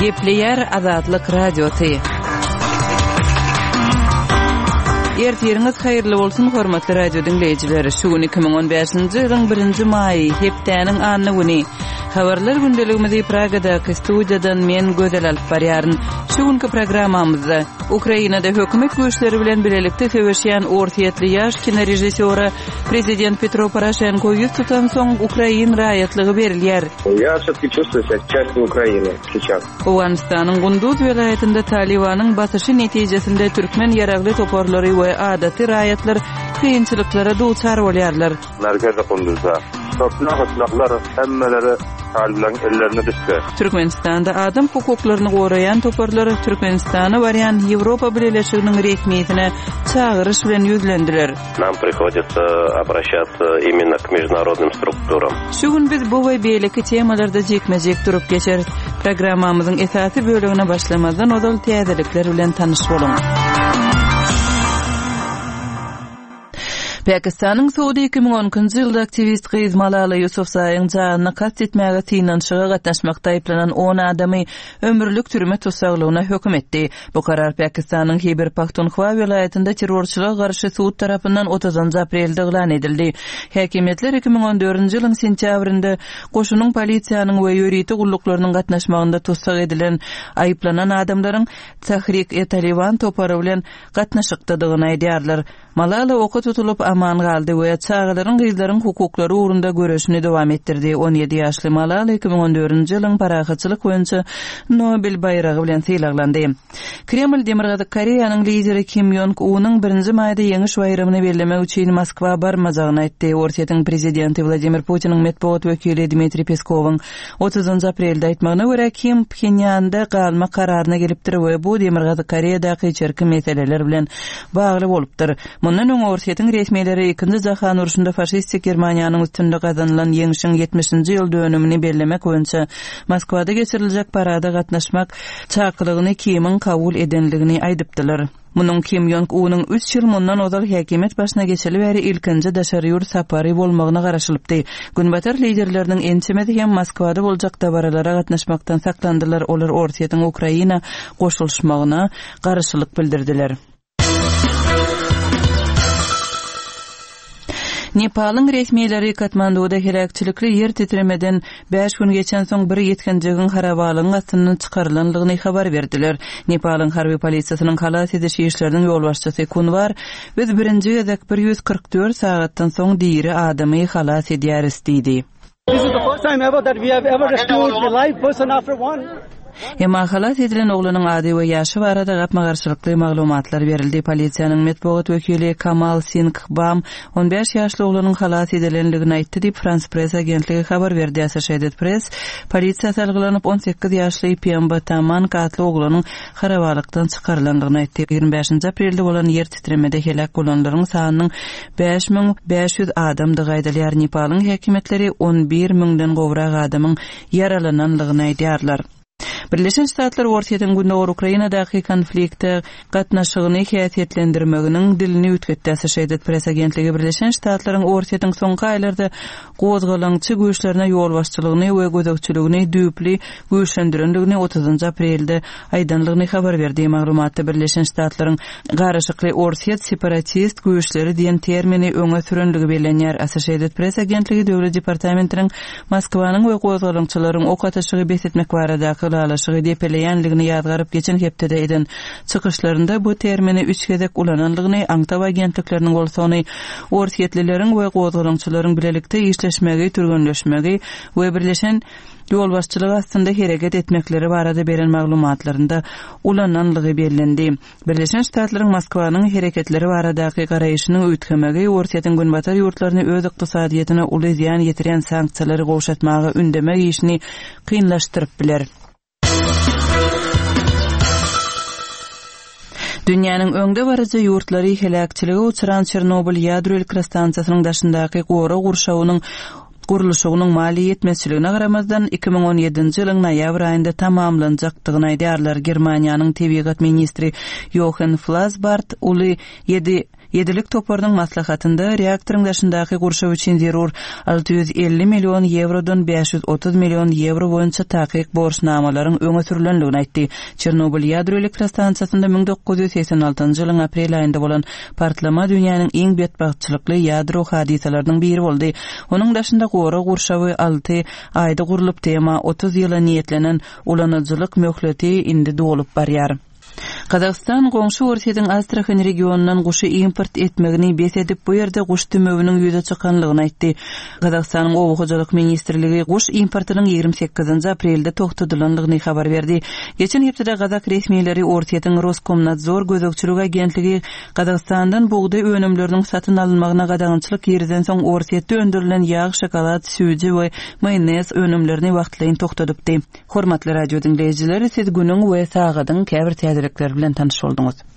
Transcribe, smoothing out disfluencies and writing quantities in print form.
Gepleýär Azatlyk Radiosy. Ertiriňiz haýyrly bolsun, hormatly radio diňleýjiler! Şu gün 2015-nji ýylyň birinji maýy, hepdäniň anna güni. Habarlar gündeligimizi Pragadaky studiýadan men Gözel alyp barýaryn. Şu günki programmamyzda Ukrainada hökümet güýçleri bilen bilelikde söweşýän orsýetli ýaş kinorežissýora Prezident Petro Poroşenko ýüz tutansoň, ukrain raýatlygy berilýär. Ýa wsýotki çувствую себя частью Ukrainy seýças. Owganystanyň Gunduz welaýatynda Talybanyň basyşy netijesinde türkmen ýaragly toparlary we adaty raýatlar kynçylyklara duçar bolýarlar. Merkezi Gunduzda toprak-otlaklar hemmeleri talyplaryň ellerine düşdi. Türkmenistanda adam hukuklaryny goraýan toparlar Türkmenistana barýan Ýewropa Bileleşiginiň resmisine çagyryş bilen ýüzlendiler. Nam prihoditsa obraşatsa imенно k mejdunarodnym strukturam. Şu gün biz bu we beýleki temalarda jikme-jik durup geçeris. Programmamyzyň esasy bölegine başlamazdan ozal täzelikler bilen tanyş boluň. Pakistanyň sudy 2012-nji ýylda aktiwist gyz Malala Ýusufzaýyň janyna kast etmäge synanyşyga gatnaşmakda aýyplanan on adamy ömürlik türme tussaglygyna höküm etdi. Bu karar Pakistanyň Hiber-Pahtunhwa welaýatynda terrorçylyga garşy sud tarapyndan otuzynjy aprelde yglan edildi. Häkimiýetler 2014-nji ýylyň sentýabrynda goşunyň, polisiýanyň we ýörite gulluklarynyň gatnaşmagynda tussag edilen aýyplanan adamlaryň Tahrik-e-Taliban topary bilen gatnaşykdadygyny aýdýarlar. Malala oka tutulyp, aman galdy we çagalaryň, gyzlaryň hukuklary ugrunda göreşini dowam etdirdi. 17 ýaşly Malala 2014-nji ýylyň parahatçylyk boýunça Nobel baýragy bilen sylaglandy. Kreml Demirgazyk Koreýanyň lideri Kim Ýong Unyň birinji maýda Ýeňiş baýramyny bellemek üçin Moskwa barmajagyny aýtdy. Orsýetiň prezidenti Wladimir Putiniň metbugat wekili Dmitriý Peskowyň Otuzynjy aprelde aýtmagyna görä, Kim Phenýanda galmak kararyna gelipdir we bu Demirgazyk Koreýadaky içerki meseleler bilen bagly bolupdyr. Mundan öň Orsýetiň resmileri Ikinji jahan urşunda faşistik Germaniýanyň üstünde gazanylan ýeňşiň ýetmişinji ýyl dönümini bellemek boýunça Moskwada geçiriljek parada gatnaşmak çakylygyny Kimiň kabul edendigini aýdypdylar. Munuň Kim Ýong Unyň üç ýyl mundan ozal häkimiýet başyna geçeli bäri ilkinji daşary ýurt sapary bolmagyna garaşylypdy. Günbatar liderleriniň ençemesi hem Moskwada boljak dabaralara gatnaşmakdan saklandylar, olar Orsýetiň Ukraina goşulyşmagyna garşylyk bildirdiler. Nepalyň resmileri Katmanduda heläkçilikli ýer titremeden bäş gün geçensoň bir ýetginjegiň harabalygyň astyndan çykarylandygyny habar berdiler. Nepalyň harby polisiýasynyň halas ediş işleriniň ýolbaşçysy Kunwar, Biz birinji gezek 144 sagatdan soň diri adamy halas edýäris diýdi. Emma halas edilen oglanyň ady we ýaşy barada gapma-garşylykly maglumatlar berildi. Polisiýanyň metbugat wekili Kamal Singh Bam on bäş ýaşly oglanyň halas edilendigini aýtdy diýip, Frans Press agentligi habar berdi. Associated Press polisiýa salgylanyp, 18 ýaşly Pemba Tamang atly oglanyň harabalykdan çykarylandygyny aýtdy. Ýigrimi bäşinji aprelde bolan ýer titremede heläk bolanlaryň sanynyň 5500 adamdygy aýdylýar. Nepalyň häkimiýetleri 11 müňden gowrak adamyň ýaralananlygyny aýdýarlar. Birleşen Ştatlar Orsýetiň gündogar Ukrainadaky konflikte gatnaşygyny häsiýetlendirmeginiň dilini üýtgetdi. Associated Press agentligi Birleşen Ştatlaryň Orsýetiň soňky aýlarda gozgalaňçy güýçlerine ýolbaşçylygyny we gözegçiligini düýpli güýçlendirendigini otuzynjy aprelde aýdanlygyny habar berdi. Maglumatda Birleşen Ştatlaryň garyşykly orsýet separatist güýçleri diýen termini öňe sürenligi bellenýär. Associated Press agentligi Döwlet departamentiniň Moskwanyň we gozgalaňçylaryň ok atyşygy bes etmek baradaky ylalaşygy depeleýänligini ýazgaryp geçen hepdede eden çykyşlarynda bu termini üç gezek ulananlygyny, aňtaw agentlikleriniň bolsa ony orsýetlileriň we gozgalaňçylaryň bilelikde işleşmegi, türgenleşmegi we birleşen ýolbaşçylyk astynda hereket etmekleri barada beren maglumatlarynda ulananlygy bellendi. Birleşen Ştatlaryň Moskwanyň hereketleri baradaky garaýşynyň üýtgemegi Orsýetiň Günbatar ýurtlaryny öz ykdysadyýetine uly zyýan ýetirýän sanksiýalary gowşatmaga ündemek işini kynlaşdyryp biler. Dünýäniň öňdebaryjy ýurtlary heläkçilige uçran Çernobyl ýadro elektrostansiýasynyň daşyndaky gorag gurşawynyň gurluşygynyň maliýe ýetmezçiligine garamazdan, 2017-nji ýylyň noýabr aýynda tamamlanjakdygyny aýdýarlar. Germaniýanyň tebigat ministri Ýohen Flasbart uly ýedi. Ýedilik toparynyň maslahatynda reaktoryň daşyndaky gurşaw üçin zerur 650 million ýewrodan 530 million ýewro boýunça takyk borçnamalaryň öňe sürlendigini aýtdy. Çernobyl ýadro elektrostansiýasynda 1986-njy ýylyň aprel aýynda bolan partlama dünýäniň iň betbagtçylykly ýadro hadysalarynyň biri boldy. Onuň daşynda gorag gurşawy alty aýda gurlupdy, emma 30 ýyla niýetlenen ulanyjylyk möhleti indi dolup barýar. Gazagystan goňşy Orsýetiň Astrahan regionyndan guşy import etmegini bes edip, bu ýerde guş dümewiniň ýüze çykanlygyny aýtdy. Gazagystanyň Oba hojalyk ministrligi guş importynyň 28-nji aprelde togtadylandygyny habar berdi. Geçen hepdede gazak resmileri Orsýetiň Roskomnadzor gözegçilik agentligi Gazagystandan bugdaý önümleriniň satyn alynmagyna gadagançylyk girizensoň Orsýetde öndürilen ýag, şokolad, süýji we maýonez önümlerini wagtlaýyn togtadypdy. Hormatly radio diňleýjiler, siz günüň we sagadyň käbir täzelikleri bilen tanyş bolduňyz.